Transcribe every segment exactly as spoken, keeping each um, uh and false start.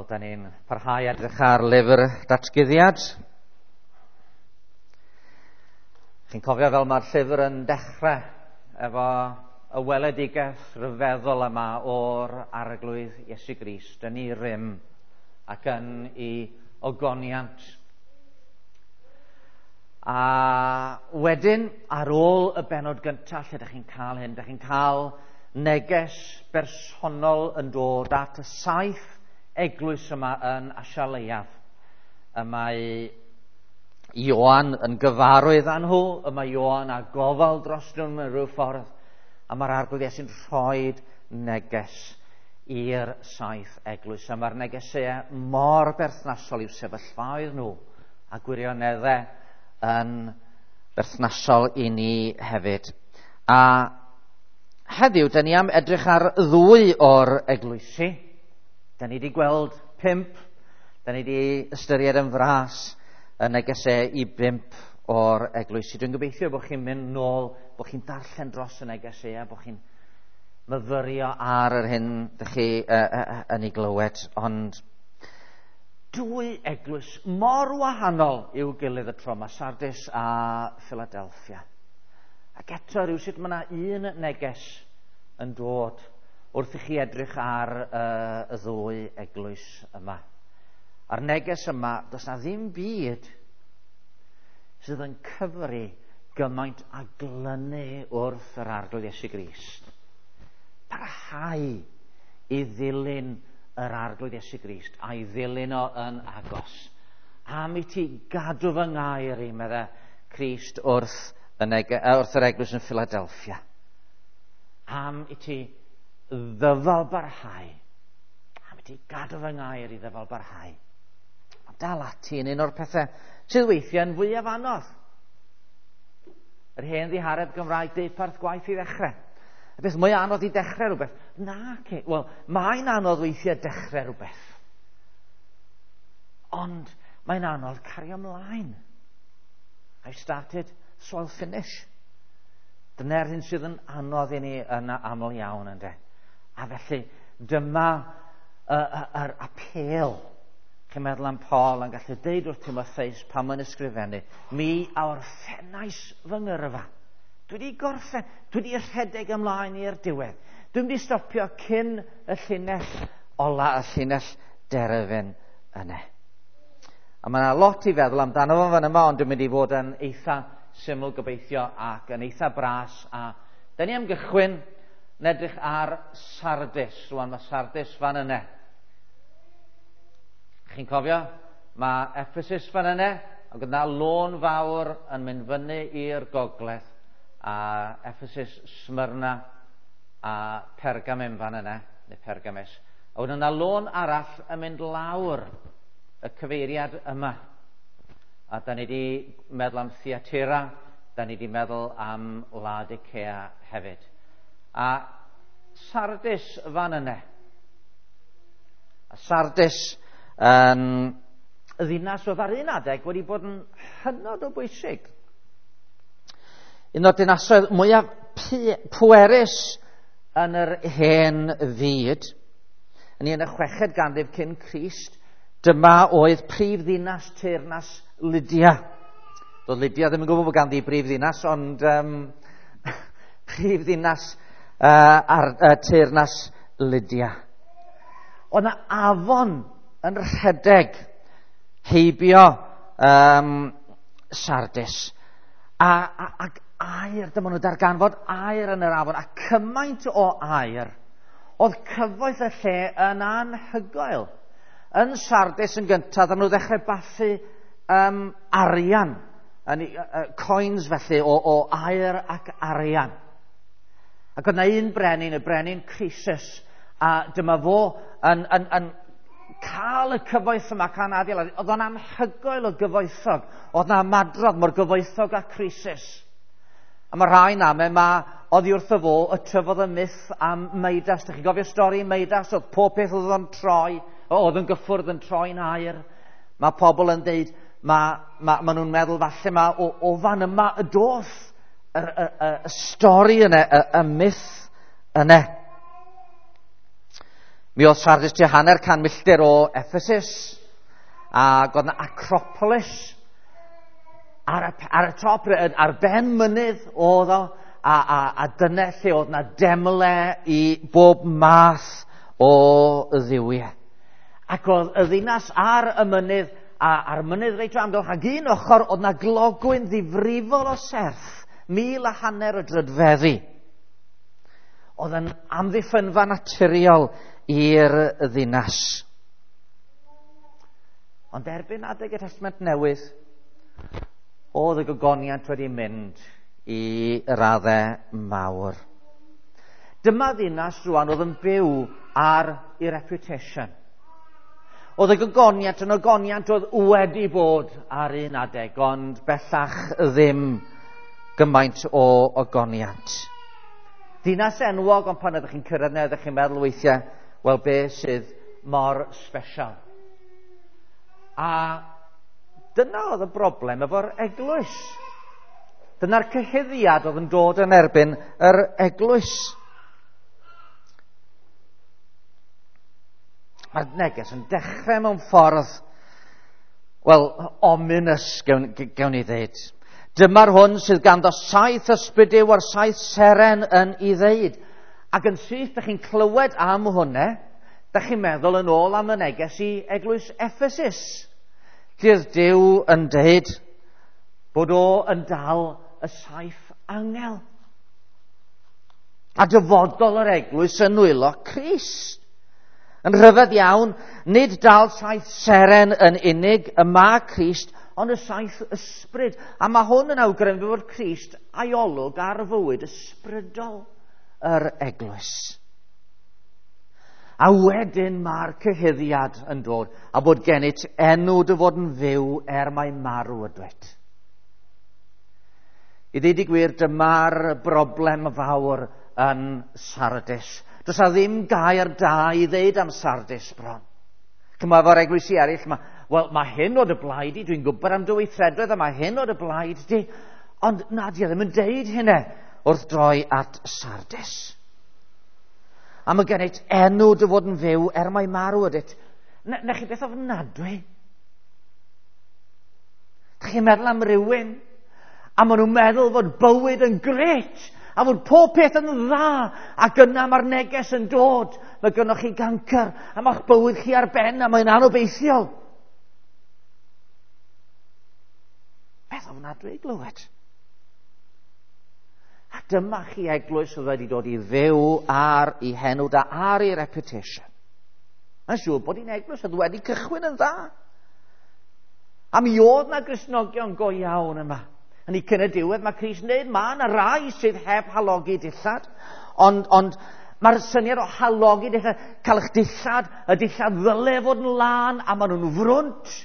Wel, da ni'n parhau edrych ar lyfr datguddiad. Chi'n cofio fel mae'r llyfr yn dechrau efo y weledigaeth rhyfeddol yma o'r Arglwydd Iesu Grist yn ei rym ac yn ei ogoniant. A wedyn, ar ôl y bennod gyntaf lle ydych chi'n cael hyn, ydych chi'n cael neges bersonol yn dod at y saith eglwys yma yn Asia Leiaf. Y mae Ioan yn gyfarwydd â nhw, y mae Ioan â gofal dros nhw mewn rhyw ffordd, a mae'r Arglwydd Iesu'n rhoi neges i'r saith eglwys. A mae'r negesau mor berthnasol i'w sefyllfaoedd nhw, a gwirioneddau yn berthnasol i ni hefyd. A heddiw, da ni am edrych ar ddwy o'r eglwysi. Da ni wedi gweld pump, da ni wedi ystyried yn fras y negesau i bump o'r eglwysi. Dwi'n gobeithio bod chi'n mynd nôl, bod chi'n darllen dros y negesau a bod chi'n myfyrio ar yr hyn ydych chi uh, uh, yn ei glywed. Ond dwy eglwys mor wahanol i'w gilydd y tro yma, Sardis a Philadelphia. Ac eto rhywsut mae yna un neges yn dod wrth i chi edrych ar uh, y ddwy eglwys yma. A'r neges yma, does na ddim byd sydd yn cyfri gymaint a glynu wrth yr Arglwydd Iesu Grist. Parhau i ddilyn yr Arglwydd Iesu Grist a'i ddilyn o yn agos. Am i ti gadw fy ngair i, medde Crist wrth, y nege, wrth yr eglwys yn Philadelphia. Am i ti ddyfal barhau. Am i ti gadw fy ngair i ddyfal barhau. Mae dal ati yn un o'r pethau sydd weithiau yn fwyaf anodd. Yr hen ddihareb Gymraeg deuparth gwaith i ddechrau. Y beth mwy anodd i dechrau rhywbeth. Na, ce. Wel, mae'n anodd weithiau dechrau rhywbeth. Ond mae'n anodd cario ymlaen. I've started, so I'll finish. Dyna'r hyn sydd yn anodd i ni yn aml iawn, ynde. A felly, dyma yr apêl. Chi'n meddwl am Paul yn gallu deud wrth Timotheus pan mae'n ysgrifennu, mi a orffennais fy ngyrfa. Dwi wedi gorffen, dwi wedi rhedeg ymlaen i'r diwedd. Dwi'n wedi stopio cyn y llinell ola, y llinell derfyn yna. A mae yna lot i feddwl amdano fo fan yma, ond dwi'n mynd i fod yn eitha syml gobeithio ac yn eitha bras. A da ni am gychwyn yn edrych ar Sardis. Rwan mae Sardis fan yna. Chi'n cofio? Mae Ephesus fan yna, ac yna lôn fawr yn mynd fyny i'r gogledd, a Ephesus, Smyrna a Pergamum fan yna, neu Pergamus. A wedyn yna lôn arall yn mynd lawr y cyfeiriad yma. A da ni wedi meddwl am Thyatira, da ni wedi meddwl am Laodicea hefyd. A Sardis fan yna. A Sardis yn ddinas oedd ar un adeg wedi bod yn hynod o bwysig. Un o'r dinasoedd mwyaf pwerus yn yr hen fyd, yn un y chweched ganrif cyn Crist, dyma oedd prif ddinas teyrnas Lydia. Doedd Lydia ddim yn gwybod bod ganddi brif ddinas, ond um, prif ddinas uh, ar, uh, teyrnas Lydia. Oedd yna afon yn rhedeg heibio um, Sardis. A, a, ac aer, dyma nhw darganfod aer yn yr afon, a cymaint o aer, oedd cyfoeth y lle yn anhygoel. Yn Sardis yn gyntaf, dyn nhw ddechrau bathu um, arian, yn, uh, coins felly, o, o aer ac arian. Ac oedd yna un brenin, y brenin Croesus, a dyma fo yn, yn, yn cael y cyfoeth yma can adeilad. Oedd o'n anhygoel o gyfoethog. Oedd yna madrodd mor gyfoethog â Croesus. A mae rhai namau mae oddi wrtho fo y tyfodd y myth am Midas. Dych chi'n gofio stori Midas? Oedd pob peth oedd o'n troi, oedd yn gyffwrdd yn troi'n aer. Mae pobl yn deud, mae, ma, ma nhw'n meddwl falle ma, o, o fan yma y doth y, y, y, y stori yna, y, y myth yna. Mi oedd Sardis tua hanner can milltir o Ephesus, ac oedd yna Acropolis ar y, ar y top, ar ben mynydd oedd o, a, a, a dyna lle oedd yna demle i bob math o dduwiau. Ac oedd y ddinas ar y mynydd, a ar y mynydd reit o amgylch, ac un ochr oedd yna glogwyn ddifrifol o serth, mil a hanner o drydfeddi. Oedd yn amddiffynfa naturiol i'r ddinas. Ond erbyn adeg y Testament Newydd, oedd y gogoniant wedi mynd i raddau mawr. Dyma ddinas rwan oedd yn byw ar ei reputation. Oedd y gogoniant yn ogoniant oedd wedi bod ar un adeg, ond bellach ddim gymaint o ogoniant. Dinas enwog, ond pan ydych chi'n cyrraedd yna, ydych chi'n meddwl weithiau, wel, be sydd mor special? A dyna oedd y broblem efo'r eglwys. Dyna'r cyhuddiad oedd yn dod yn erbyn yr eglwys. Mae'r neges yn dechrau mewn ffordd, wel, ominous, gewn, gewn ni ddeud. Dyma'r hwn sydd ganddo saith ysbryd Duw a'r saith seren yn ei ddeud. Ac yn syth, dych chi'n clywed am hwnna, dych chi'n meddwl yn ôl am y neges i eglwys Ephesus. Lle oedd Duw yn deud bod o yn dal y saith angel. A dyfodol yr eglwys yn nwylo Crist. Yn rhyfedd iawn, nid dal saith seren yn unig y mae Crist, ond y saith ysbryd. A mae hwn yn awgrymu fod Crist a'i olwg ar fywyd ysbrydol yr eglwys. A wedyn mae'r cyhuddiad yn dod, a bod gennyt enw dy fod yn fyw er mai marw ydwyt. I ddweud y gwir, dyma'r broblem fawr yn Sardis. Does 'na ddim gair da i ddeud am Sardis bron. Chymod, efo'r eglwysi eraill, ma, wel, mae hyn o dy blaid di, dwi'n gwybod am dy weithredoedd, a mae hyn o dy blaid di. Ond na, di ddim yn deud hynny wrth droi at Sardis. A mae gennyt enw dy fod yn fyw er mai marw ydyt. Na, na chi beth ofnadwy? Dych chi'n meddwl am rywun, a maen nhw'n meddwl fod bywyd yn grêt, a fod pob peth yn dda, ac yna mae'r neges yn dod. Mae gynnoch chi gancr, a mae'ch bywyd chi ar ben, a mae'n anobeithiol. Beth ofnadwy i glywed. A dyma chi eglwys oedd wedi dod i fyw ar ei henw da, ar ei reputation. Mae'n siŵr bod hi'n eglwys oedd wedi cychwyn yn dda. A mi oedd na Gristnogion go iawn yma. Yn ei cyn y diwedd mae Crist yn dweud, mae yna rai sydd heb halogi dillad, ond, ond mae'r syniad o halogi dillad, cael eich dillad, y dillad ddyle fod yn lân, a maen nhw'n frwnt.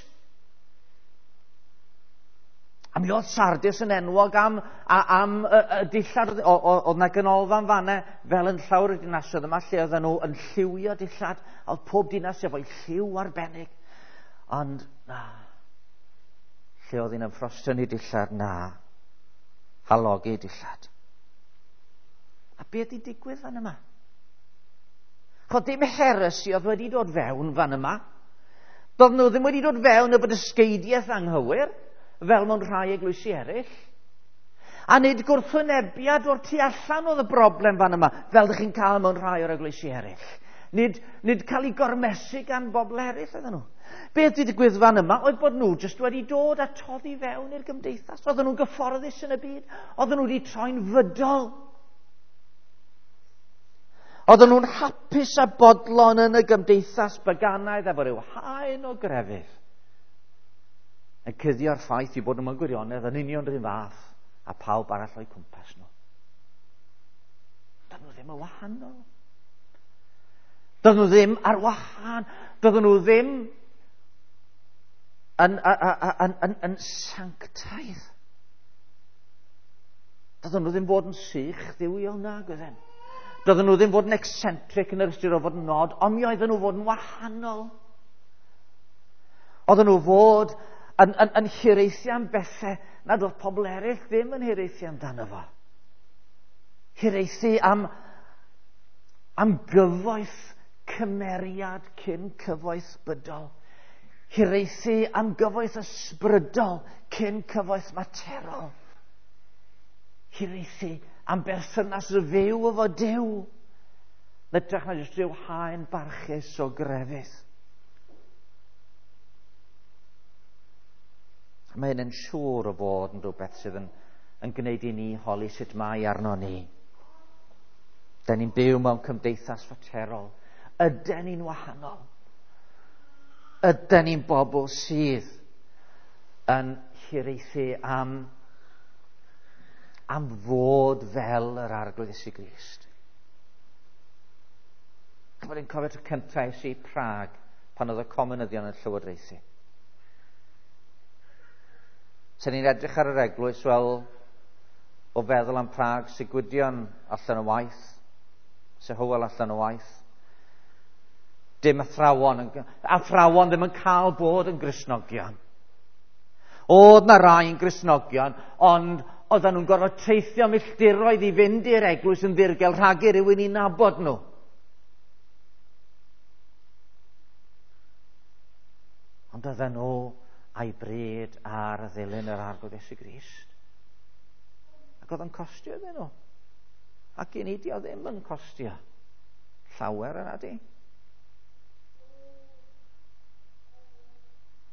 A mi oedd Sardis yn enwog am, a, am y, y dillad, oedd yna ganolfan fanna fel yn llawer o dinasoedd yma, lle oedden nhw yn lliwio dillad, a oedd pob dinas efo'i lliw arbennig. Ond, na, lle oedd hi'n ymffrostio ni dillad, na, halogi dillad. A beth di digwydd fan yma? Chod dim heresi oedd wedi dod fewn fan yma. Doedd nhw ddim wedi dod fewn efo dysgeidiaeth anghywir, fel mewn rhai eglwysi eraill. A nid gwrthwynebiad o'r tu allan oedd y broblem fan yma, fel ydych chi'n cael mewn rhai o'r eglwysi eraill. Nid, nid cael ei gormesu gan bobl eraill oedden nhw. Beth wedi digwydd fan yma oedd bod nhw jyst wedi dod a toddi fewn i'r gymdeithas. Oedden nhw'n gyfforddus yn y byd. Oedden nhw wedi troi'n fydol. Oedden nhw'n hapus a bodlon yn y gymdeithas baganaidd efo rhyw haen o grefydd. Yn cuddio'r ffaith i bod nhw'n gwirionedd yn union rhywun fath a pawb arall o'i cwmpas nhw. Doedden nhw ddim yn wahanol. Doedden nhw ddim ar wahân. Doedden nhw ddim yn, yn, yn, yn, yn sanctaidd. Doedden nhw ddim fod yn sych dduwiol nag oedden. Doedden nhw ddim fod yn eccentric yn yr ystyr o fod yn nod, ond mi oedden nhw fod yn wahanol. Oedden nhw fod yn, yn, yn hiraethu am bethau nad oedd pobl eraill ddim yn hiraethu amdano fo. Hiraethu am, am gyfoeth cymeriad cyn cyfoeth bydol. Hiraethu am gyfoeth ysbrydol cyn cyfoeth materol. Hiraethu am berthynas fyw efo Duw. Hytrach na jyst rhyw haen barchus o grefydd. Mae hyn yn siŵr o fod yn rhywbeth sydd yn, yn gwneud i ni holi sut mae arno ni. Da ni'n byw mewn cymdeithas faterol. Yden ni'n wahanol? Yden ni'n bobl sydd yn hiraethu am, am fod fel yr Arglwydd Iesu Grist? Chymod, i'n cofio tro cyntaf es i Prag pan oedd y comunyddion yn llywodraethu. Sen ni'n edrych ar yr eglwys, wel, o feddwl am Prag, Sigwydion allan o waith, Sir Hywel allan o waith. Dim athrawon, athrawon ddim yn cael bod yn Gristnogion. Oedd na rai yn Gristnogion, ond oedden nhw'n gorfod teithio milltiroedd i fynd i'r eglwys yn ddirgel rhag i rywun i nabod nhw. Ond oedden nhw a'i bryd ar ddilyn yr Arglwydd Iesu Grist. Ac oedd o'n costio iddyn nhw. Ac i ni di o ddim yn costio llawer yna di.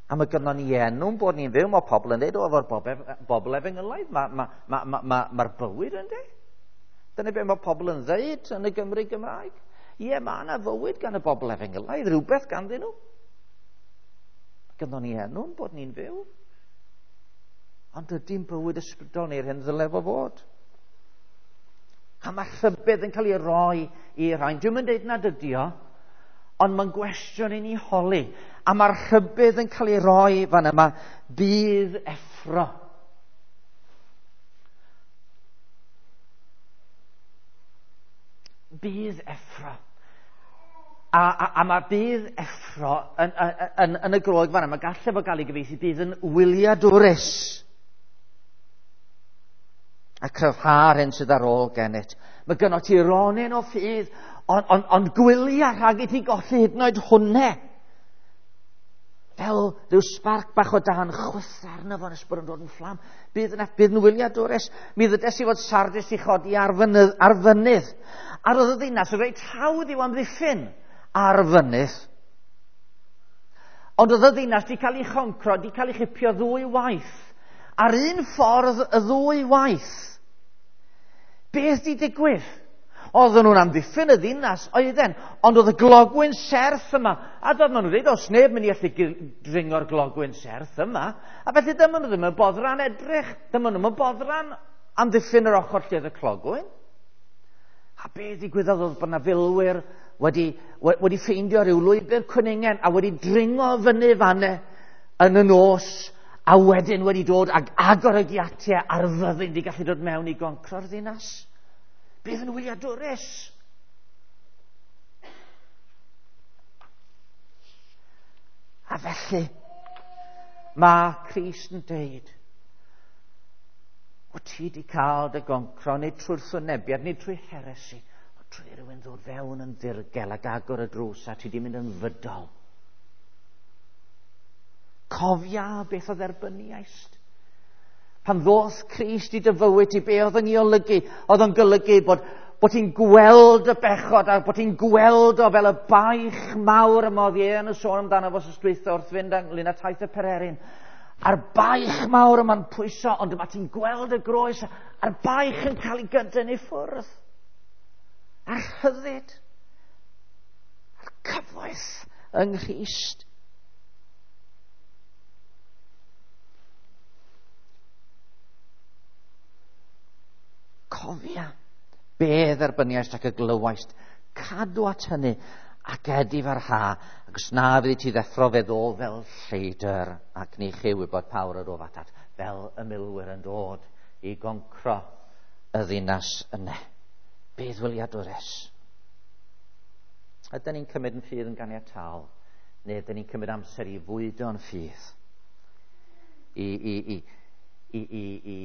A mae gynnon ni enw'n bod ni'n fyw, mae pobl yn dweud, o, efo'r bobl efengylaidd, mae'r ma, ma, ma, ma, ma bywyd yn dweud. Dyna beth mae pobl yn dweud yn y Gymru Gymraeg. Ie, mae yna fywyd gan y bobl efengylaidd, rhywbeth ganddyn nhw. Gynnon ni enw'n bod ni'n fyw. Ond ydy'n bywyd ysbrydol ni'r hyn ddyle fo fod. A mae rhybudd yn cael ei roi i'r rhain. Dwi'm yn dweud nad ydi o, ond mae'n gwestiwn i ni holi. A mae'r rhybudd yn cael ei roi fan yma, bydd effro. Bydd effro. A, a, a mae bydd effro yn, yn, yn, yn y Groeg fan yma, gallai fo gael ei gyfieithu, bydd yn wyliadwrus. A cryfhau'r hyn sydd ar ôl gennyt. Mae gynno ti ronyn o ffydd, ond on, on gwylia rhag i ti golli hyd yn oed hwnne. Fel rhyw sbarc bach o dan chwythu arno fo nes bod yn dod yn fflam. Bydd yn, bydd yn wyliadwrus. Mi ddydes i fod Sardis i chodi ar fynydd, ar fynydd. A roedd y ddinas yn reit hawdd i'w amddiffyn ar fynydd. Ond oedd y ddinas di cael ei choncro, di cael ei chipio ddwy waith. Ar un ffordd y ddwy waith. Beth di digwydd? Oedden nhw'n amddiffyn y ddinas, oedden, ond oedd y glogwyn serth yma. A doedd maen nhw'n dweud, oes neb mynd i allu dringo'r glogwyn serth yma. A felly dyma nhw ddim yn boddran edrych, dyma nhw'n boddran amddiffyn yr ochr lle oedd y clogwyn. A beth ddigwyddodd oedd bod yna filwyr wedi, wedi ffeindio rhyw lwybr cwningen a wedi dringo fyny fanne yn y nos, a wedyn wedi dod ag agor y giatiau a'r fyddin wedi gallu dod mewn i goncro'r ddinas. Bydd yn wyliadwrus. A felly, mae Crist yn deud, o ti di cael dy goncro, nid trwy'r wrthwynebiad, nid trwy heresi, ond trwy rhywun ddod fewn yn ddirgel ac agor y drws a ti di mynd yn fydol. Cofia beth o dderbyniaist. Pan ddoth Crist i dy fywyd i, be oedd yn ei olygu? Oedd o'n golygu bod, bod ti'n gweld y bechod a bod ti'n gweld o fel y baich mawr yma oedd Ieuan yn sôn amdano fo dwytha wrth fynd ynglyn â taith y pererin. A'r baich mawr yma'n pwyso, ond yma ti'n gweld y groes a'r baich yn cael ei gydyn i ffwrdd. A'r rhyddid, a'r cyfoeth yng Nghrist. Cofia be dderbyniaist ac y glywaist, cadw at hynny ac edifarha, ac os na fyddi ti ddeffro fe ddo fel lleidr, ac ni chi wybod pawr yr of atat, fel y milwyr yn dod i goncro y ddinas yna. Bydd wyliadwrus. Ydyn ni'n cymryd yn ffydd yn ganiataol, neu ydyn ni'n cymryd amser i fwydo'n ffydd, i, i, i, i, i, i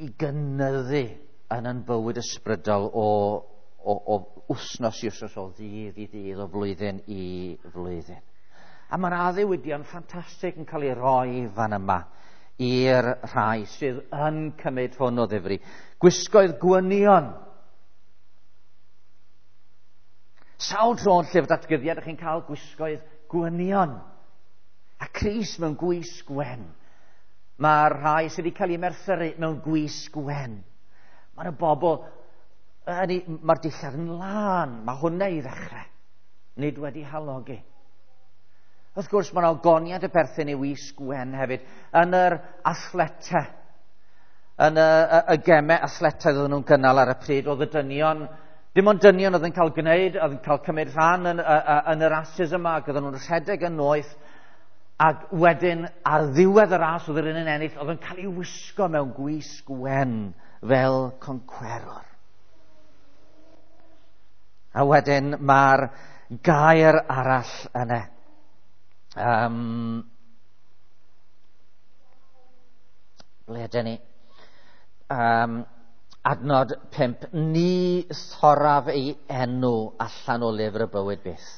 i gynyddu yn yn bywyd ysbrydol o, o, o wsnos i wsnos, o ddydd i ddydd, o flwyddyn i flwyddyn. A mae'r addewidion ffantastig yn cael ei roi fan yma i'r rhai sydd yn cymryd hwn o ddifri. Gwisgoedd gwynion. Sawl tro yn llyfr datguddiad ydych chi'n cael gwisgoedd gwynion. A Crist mewn gwisg wen. Mae'r rhai sydd wedi cael eu merthyru mewn gwisg wen. Mae'r bobl, mae'r dillad yn lân, mae hwnna i ddechrau. Nid wedi halogi. Wrth gwrs, mae'n ogoniad y perthyn i wisg wen hefyd. Yn yr athletau, yn y, y, y gemau athletau oedden nhw'n gynnal ar y pryd, oedd y dynion, dim ond dynion oedd yn cael gwneud, oedd yn cael cymryd rhan yn, yn y rasys yma, ac oedden nhw'n rhedeg yn noeth, ac wedyn ar ddiwedd y ras oedd yr un yn ennill, oedd yn cael ei wisgo mewn gwisg wen fel concwerwr. A wedyn mae'r gair arall yna. Um, ble ydyn ni? Um, adnod pump. Ni thoraf ei enw allan o lyfr y bywyd byth,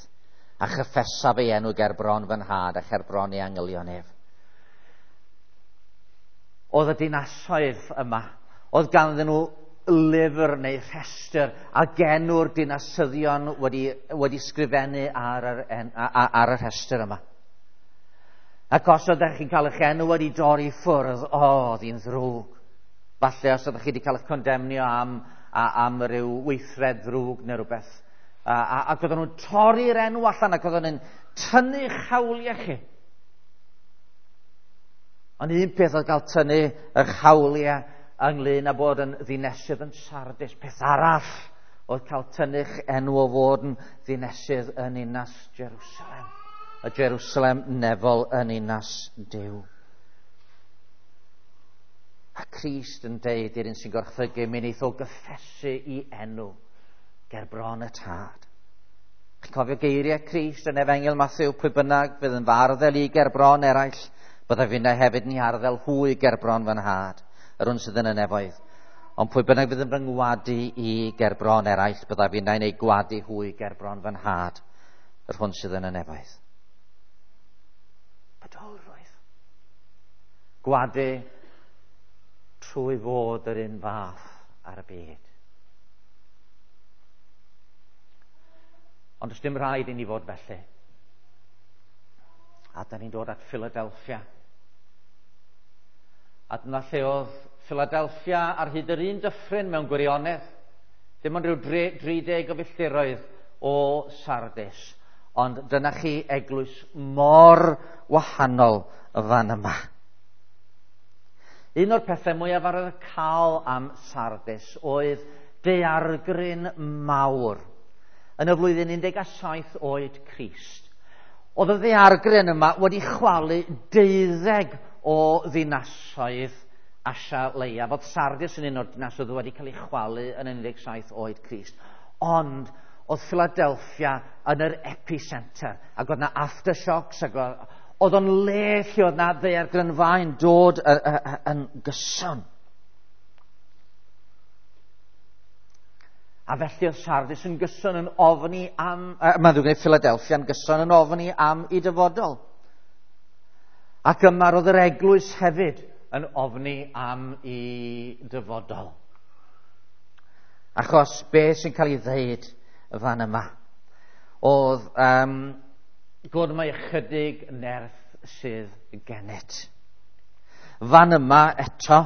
a chyffesaf ei enw ger bron fy nhad a cher bron ei angylion ef. Oedd y dinasoedd yma, oedd ganddyn nhw lyfr neu rhestr a genw'r dinasyddion wedi, wedi sgrifennu ar yr, en, ar y rhestr yma. Ac os oeddech chi'n cael eich enw wedi dorri ffwrdd, o, oedd hi'n ddrwg. Falle os oeddech chi wedi cael eich condemnio am, am ryw weithred ddrwg neu rhywbeth. A, a, ac oedden nhw'n torri'r enw allan ac oedden nhw'n tynnu hawliau chi. Ond un peth oedd cael tynnu eich hawliau ynglyn â bod yn ddinesydd yn Sardis. Peth arall oedd cael tynnu'ch enw o fod yn ddinesydd yn ninas Jerusalem. Y Jerusalem nefol yn ninas Duw. A Crist yn deud i'r un sy'n gorchfygu, mi wneith o gyffesu i enw ger bron y tad. Chi'n cofio geiriau Crist yn Efengyl Mathew, pwy bynnag fydd yn farddel i ger bron eraill, byddai finnau hefyd ni arddel hwy ger bron fy nhad, yr hwn sydd yn y nefoedd. Ond pwy bynnag fydd yn fy ngwadu i ger bron eraill, byddai finnau'n ei gwadu hwy ger bron fy nhad, yr hwn sydd yn y nefoedd. Bodolrwydd. Gwadu trwy fod yr un fath ar y byd. Ond does dim rhaid i ni fod felly. A da ni'n dod at Philadelphia. A dyna lle oedd Philadelphia ar hyd yr un dyffryn mewn gwirionedd. Dim ond rhyw dri deg o filltiroedd o Sardis. Ond dyna chi eglwys mor wahanol fan yma. Un o'r pethau mwyaf arwyddocaol am Sardis oedd daeargryn mawr yn y flwyddyn un deg saith oed Crist. Oedd y ddaeargryn yma wedi chwalu deuddeg o ddinasoedd Asia Leiaf. Oedd Sardis yn un o'r dinasoedd wedi cael ei chwalu yn un deg saith oed Crist. Ond oedd Philadelphia yn yr epicenter, ac oedd na aftershocks, ac oedd o'n le lle oedd na ddaeargrynfau'n dod yn gyson. A felly oedd Sardis yn gyson yn ofni am, uh, mae'n ddrwg gen i, Philadelphia yn gyson yn ofni am ei dyfodol. Ac yma roedd yr eglwys hefyd yn ofni am ei dyfodol. Achos beth sy'n cael ei ddeud fan yma oedd um, gwrdd mae ychydig nerth sydd gennyt. Fan yma eto,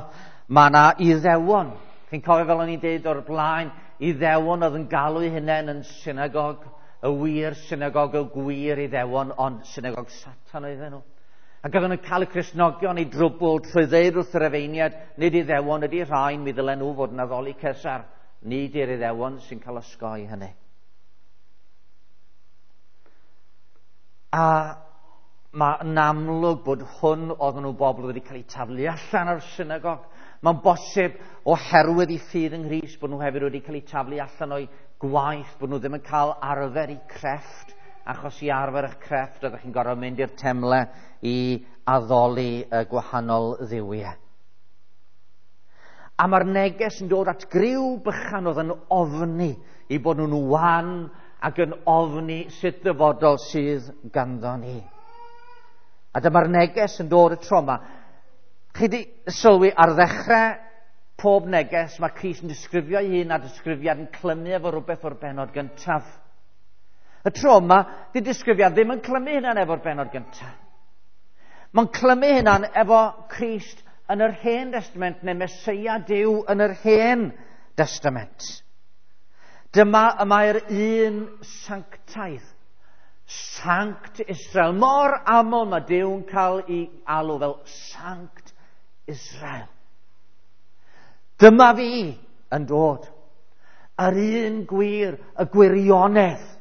mae yna Iddewon. Chi'n cofio fel o'n i'n deud o'r blaen, Iddewon oedd yn galw eu hunain yn synagog, y wir synagog, y gwir Iddewon, ond synagog Satan oedden nhw. Ac oedden nhw'n cael y Cristnogion i drwbl trwy ddeud wrth yr efeiniad, nid Iddewon ydy rhain, mi ddylen nhw fod yn addoli Cesar. Nid i'r Iddewon sy'n cael osgoi hynny. A mae'n amlwg bod hwn oedden nhw bobl wedi cael eu taflu allan o'r synagog. Mae'n bosib oherwydd eu ffydd yng Nghrist bod nhw hefyd wedi cael eu taflu allan o'i gwaith, bod nhw ddim yn cael arfer eu crefft, achos i arfer eich crefft oeddech chi'n gorfod mynd i'r temle i addoli y gwahanol dduwiau. A mae'r neges yn dod at griw bychan oedd yn ofni i bod nhw'n wan ac yn ofni sut ddyfodol sydd ganddo ni. A dyma'r neges yn dod y tro yma. Chi di sylwi ar ddechrau pob neges, mae Crist yn disgrifio ei hun a disgrifiad yn clymu efo rhywbeth o'r benod gyntaf. Y tro yma, di disgrifiad ddim yn clymu hynna'n efo'r benod gyntaf. Mae'n clymu hynna'n efo Crist yn yr Hen Testament, neu Meseia Duw yn yr Hen Testament. Dyma y mae'r un sanctaidd, Sanct Israel. Mor aml mae Duw'n cael ei alw fel Sanct Israel. Dyma fi yn dod. Yr un gwir, y gwirionedd.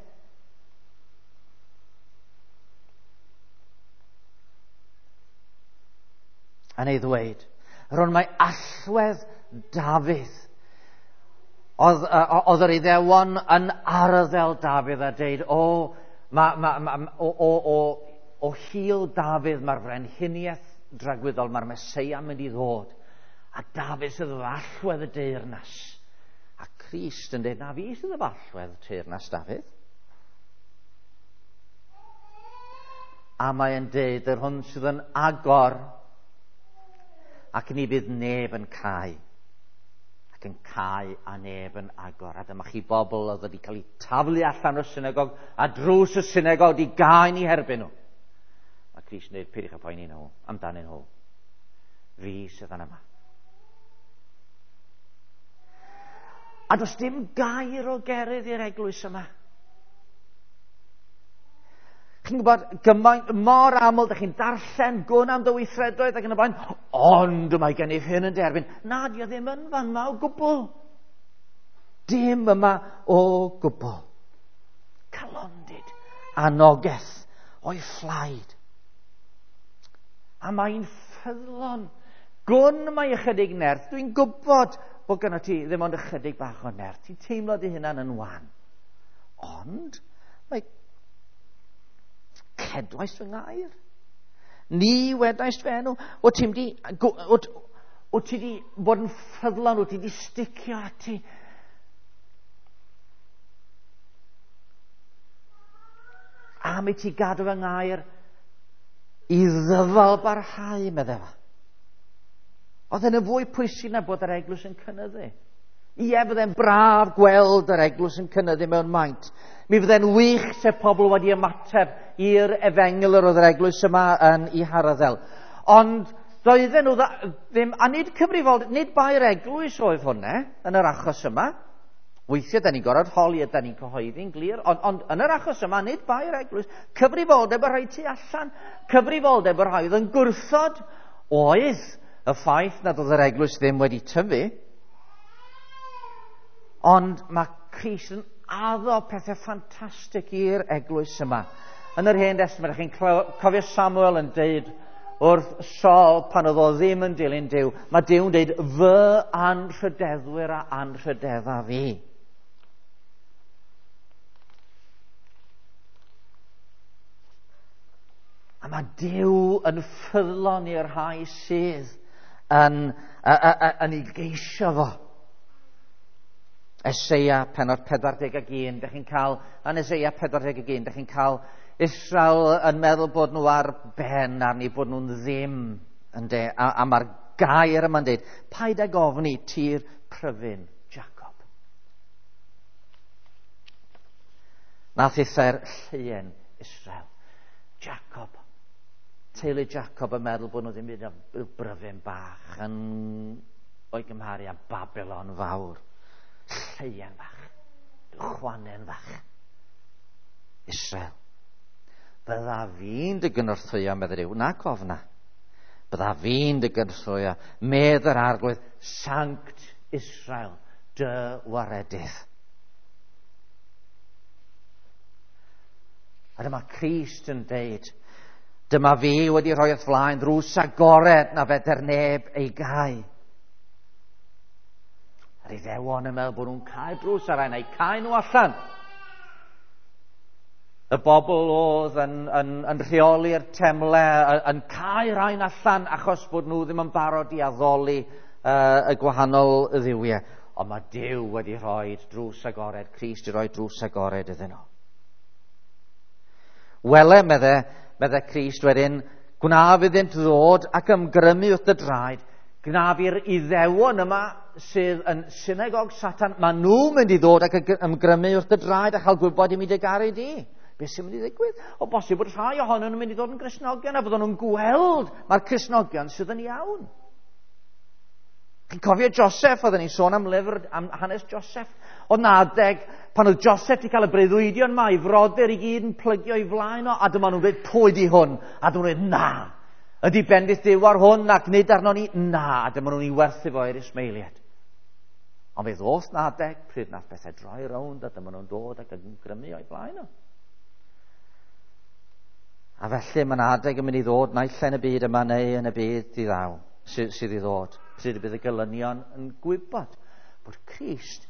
Yn ei ddweud, rhwng mae allwedd Dafydd. Oedd, oedd yr Iddewon yn arddel Dafydd a deud, o, ma, ma, ma, o, o, o, o hil Dafydd mae'r frenhiniaeth dragwyddol, mae'r Meseia mynd i ddod. A Dafydd sydd efo allwedd y deyrnas. A Crist yn deud, na fi sydd efo allwedd teyrnas Dafydd. A mae'n deud, yr hwn sydd yn agor, ac ni fydd neb yn cau. Ac yn cau a neb yn agor. A dyma chi bobl oedd wedi cael eu taflu allan o'r synagog, a drws y synagog wedi gau ni herbyn nhw. Mae Crist yn dweud, peidiwch â poeni nhw, amdanyn nhw. Fi sydd yn yma. A does dim gair o gerydd i'r eglwys yma. Chi'n gwybod, gymaint, mor aml, dych chi'n darllen gwn am dy weithredoedd ac yn y blaen, ond mae gennyf hyn yn derbyn. Na, di o ddim yn fan yma o gwbl. Dim yma o gwbl. Calondid, anogaeth o'i phlaid. A mae'n ffyddlon. Gwn mae ychydig nerth. Dwi'n gwybod bod gynno ti ddim ond ychydig bach o nerth. Ti'n teimlo dy hunan yn wan. Ond mae cedwais fy ngair. Ni wedaist fy enw. O ti'n di, o, o ti di bod yn ffyddlon, o ti di sticio ati. Am i ti gadw fy ngair i ddyfal barhau, medde fa. Oedd yn y fwy pwysig na bod yr eglwys yn cynyddu. Ie, fydde'n braf gweld yr eglwys yn cynyddu mewn maint. Mi fydde'n wych se pobl wedi ymateb i'r efengyl yr oedd yr eglwys yma yn ei harddel. Ond doedden nhw ddim, a nid cyfrifol, nid bai'r eglwys oedd hwnna yn yr achos yma. Weithiau, da ni'n gorfod holi a da ni'n cyhoeddi'n glir, ond, ond yn yr achos yma, nid bai'r eglwys. Cyfrifoldeb y rhai tu allan, cyfrifoldeb y rhai oedd yn gwrthod oedd y ffaith nad oedd yr eglwys ddim wedi tyfu. Ond mae Crist yn addo pethau ffantastig i'r eglwys yma. Yn yr Hen Destament, chi'n cofio Samuel yn deud wrth Saul pan oedd o ddim yn dilyn Duw, mae Duw'n deud, fy anrhydeddwyr a anrhydedda fi. A mae Duw yn ffyddlon i'r rhai sydd yn, yn ei geisio fo. Eseia pennod pedwar deg ac un, dych chi'n cael, yn Eseia pedwar deg ac un, dych chi'n cael Israel yn meddwl bod nhw ar ben arni, bod nhw'n ddim, ynde, a, a mae'r gair yma'n deud, paid ag ofni tir pryfyn Jacob. Nath eitha'r lleuen Israel. Jacob, teulu Jacob yn meddwl bod nhw ddim byd o bryfyn bach yn o'i gymharu â Babylon fawr. Lleuen fach, chwanen fach. Israel. Bydda fi'n dy gynorthwyo, medde Duw, nac ofna. Bydda fi'n dy gynorthwyo, medd yr Arglwydd, Sanct Israel, dy waredydd. A dyma Crist yn deud, dyma fi wedi rhoi wrth flaen ddrws agored na feder neb ei gau. Yr Iddewon yn meddwl bod nhw'n cau drws ar ein, eu cau nhw allan. Y bobl oedd yn, yn, yn rheoli'r temle, yn cau rhain allan achos bod nhw ddim yn barod i addoli uh, y gwahanol dduwiau. Ond mae Duw wedi rhoi drws agored, Crist wedi rhoi drws agored iddyn nhw. Wele, medde, medde Crist wedyn, gwnaf iddynt ddod ac ymgrymu wrth y draed, gwnaf i'r Iddewon yma sydd yn synagog Satan, maen nhw'n mynd i ddod ac ymgrymu wrth y draed a chael gwybod i mi dy garu di. Beth sy'n mynd i ddigwydd? O bosib bod rhai ohonyn nhw'n mynd i ddod yn Gristnogion a byddwn nhw'n gweld mae'r Cristnogion sydd yn iawn. Chi'n cofio Joseph, oedden ni'n sôn am lyfr, am hanes Joseph. Oedd 'na adeg pan oedd Joseph wedi cael y breuddwydion yma, ei frodyr i gyd yn plygio i flaen o, a dyma nhw'n dweud, pwy di hwn? A dyma nhw'n dweud, na, ydy bendith Duw ar hwn ac nid arno ni? Na, a dyma nhw'n ei werthu fo i'r Ismaeliaid. Ond fe ddoth 'na adeg pryd nath bethau droi rownd, a dyma nhw'n dod ac yn grymu o'i flaen o. A felly mae'n adeg yn mynd i ddod naill ai yn y byd yma neu yn y byd i ddaw, sydd, sydd i ddod, pryd y bydd y gelynion yn gwybod bod Crist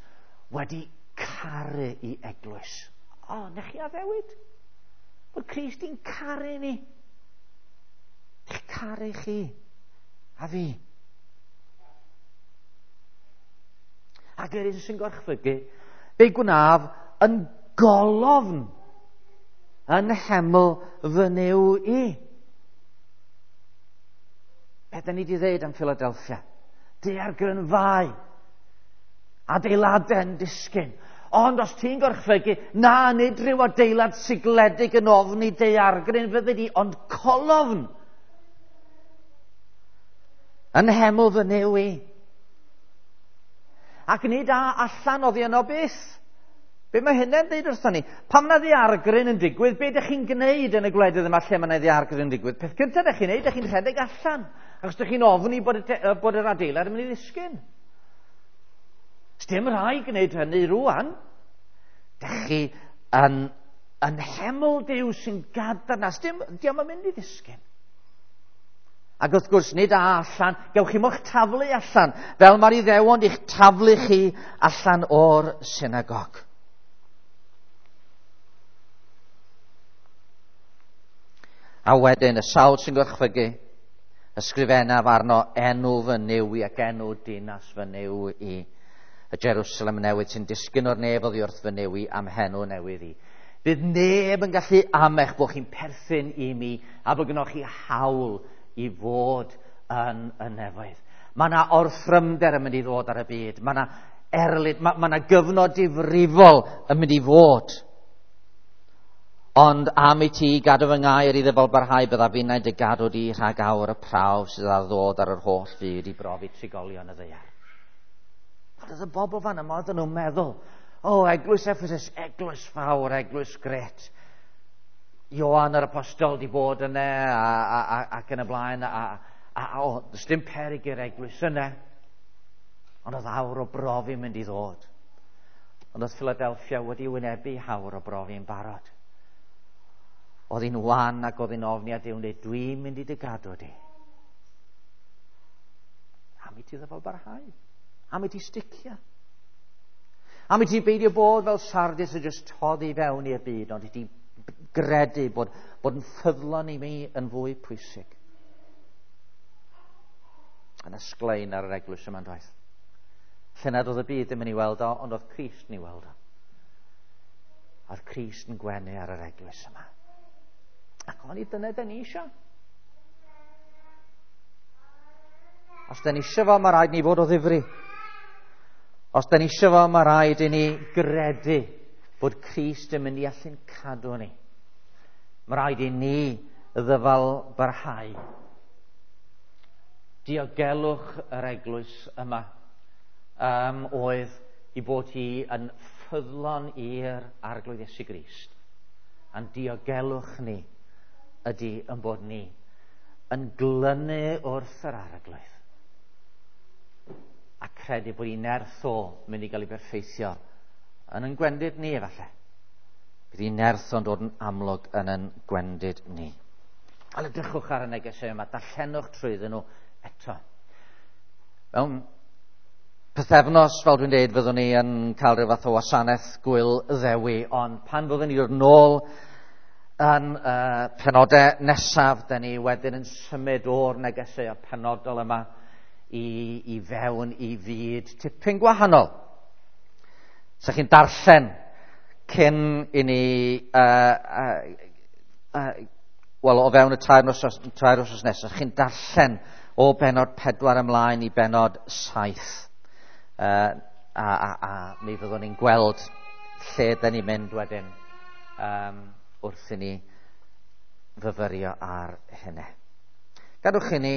wedi caru i eglwys. O, na chi addewid? Bod Crist i'n caru ni. Eich caru chi a fi. Ac yr un sy'n gorchfygu, fe gwnaf yn golofn yn heml fy Nuw i. Be da ni wedi ddeud am Philadelphia? Daeargrynfâu, adeiladau yn disgyn. Ond os ti'n gorchfygu, na, nid rhyw adeilad sigledig yn ofni daeargryn fyddi di, ond colofn yn heml fy Nuw i. Ac nid a allan oddi yno byth. Be mae hynny'n dweud wrthon ni? Pam na ddaeargryn yn digwydd, be ydych chi'n gwneud yn y gwledydd yma lle mae yna ddaeargryn yn digwydd? Peth cyntaf ydych chi'n gwneud, ydych chi'n rhedeg allan, achos ydych chi'n ofni bod, y, bod yr adeilad yn mynd i ddisgyn. Sdim rhaid gwneud hynny rwan. Dych chi yn, yn heml Duw sy'n gadarn, sdim, dio'm yn mynd i ddisgyn. Ac wrth gwrs, nid a allan, gewch chi mo'ch taflu allan, fel mae'r Iddewon i'ch taflu chi allan o'r synagog. A wedyn, y sawl sy'n gorchfygu, ysgrifennaf arno enw fy Nuw i ac enw dinas fy Nuw i, y Jerusalem newydd sy'n disgyn o'r nef oddi wrth fy Nuw i am henw newydd i. Bydd neb yn gallu amech bod chi'n perthyn i mi a bod gynnoch chi hawl i fod yn y nefoedd. Mae yna orthrymder yn mynd i ddod ar y byd. Mae yna erlid, mae, mae yna gyfnod difrifol yn mynd i fod. Ond am i ti gadw fy ngair i ddyfal barhau, byddaf finnau dy gadw di rhag awr y prawf sydd ar ddod ar yr holl fyd i brofi trigolion y ddaear. Ond oedd y bobl fan yma, oedden nhw'n meddwl, o, oh, eglwys Ephesus, eglwys fawr, eglwys gret. Ioan yr apostol di bod yna a, a, a, ac yn y blaen, a, a, a o, does dim peryg i'r eglwys yna. Ond oedd awr o brofi mynd i ddod. Ond oedd Philadelphia wedi wynebu awr o brofi yn barod. Oedd hi'n wan ac oedd hi'n ofni a Duw'n dweud, dwi'n mynd i dy gadw di. Am i ti ddyfal barhau. Am i ti sticio. Am i ti beidio bod fel Sardis a jyst toddi fewn i'r byd, ond i ti gredu bod, bod yn ffyddlon i mi yn fwy pwysig. Yn ysglein ar yr eglwys yma'n doedd. Lle nad oedd y byd ddim yn ei weld o, ond oedd Crist yn ei weld o. Oedd Crist yn gwenu ar yr eglwys yma. Ac o'n i dyna da ni isio. Os da ni isio fo, mae rhaid ni fod o ddifri. Os da ni isio fo, mae rhaid i ni gredu bod Crist yn mynd i allu'n cadw ni. Mae rhaid i ni ddyfal barhau. Diogelwch yr eglwys yma um, oedd i bod hi yn ffyddlon i'r Arglwydd Iesu Grist. A'n diogelwch ni ydy yn bod ni yn glynu wrth yr Arglwydd a credu bod ei nerth o mynd i gael ei berffeithio yn yn gwendid ni efallai. Bydd ei nerth o'n dod yn amlwg yn yn gwendid ni. Ond edrychwch ar y negesau yma, darllenwch trwyddyn nhw eto. Mewn pythefnos, fel dwi'n dweud, fyddwn ni yn cael rhyw fath o wasanaeth gwyl Ddewi, ond pan fyddwn ni dod nôl yn uh, penodau nesaf, da ni wedyn yn symud o'r negesau penodol yma i, i fewn i fyd tipyn gwahanol. Sa chi'n darllen cyn i ni, uh, uh, uh, wel, o fewn y tair wythnos, tair wythnos nesaf, chi'n darllen o benod pedwar ymlaen i benod saith. Uh, a, a, a mi fyddwn ni'n gweld lle dyn ni'n mynd wedyn um, wrth i ni fyfyrio ar hynny. Gadwch i ni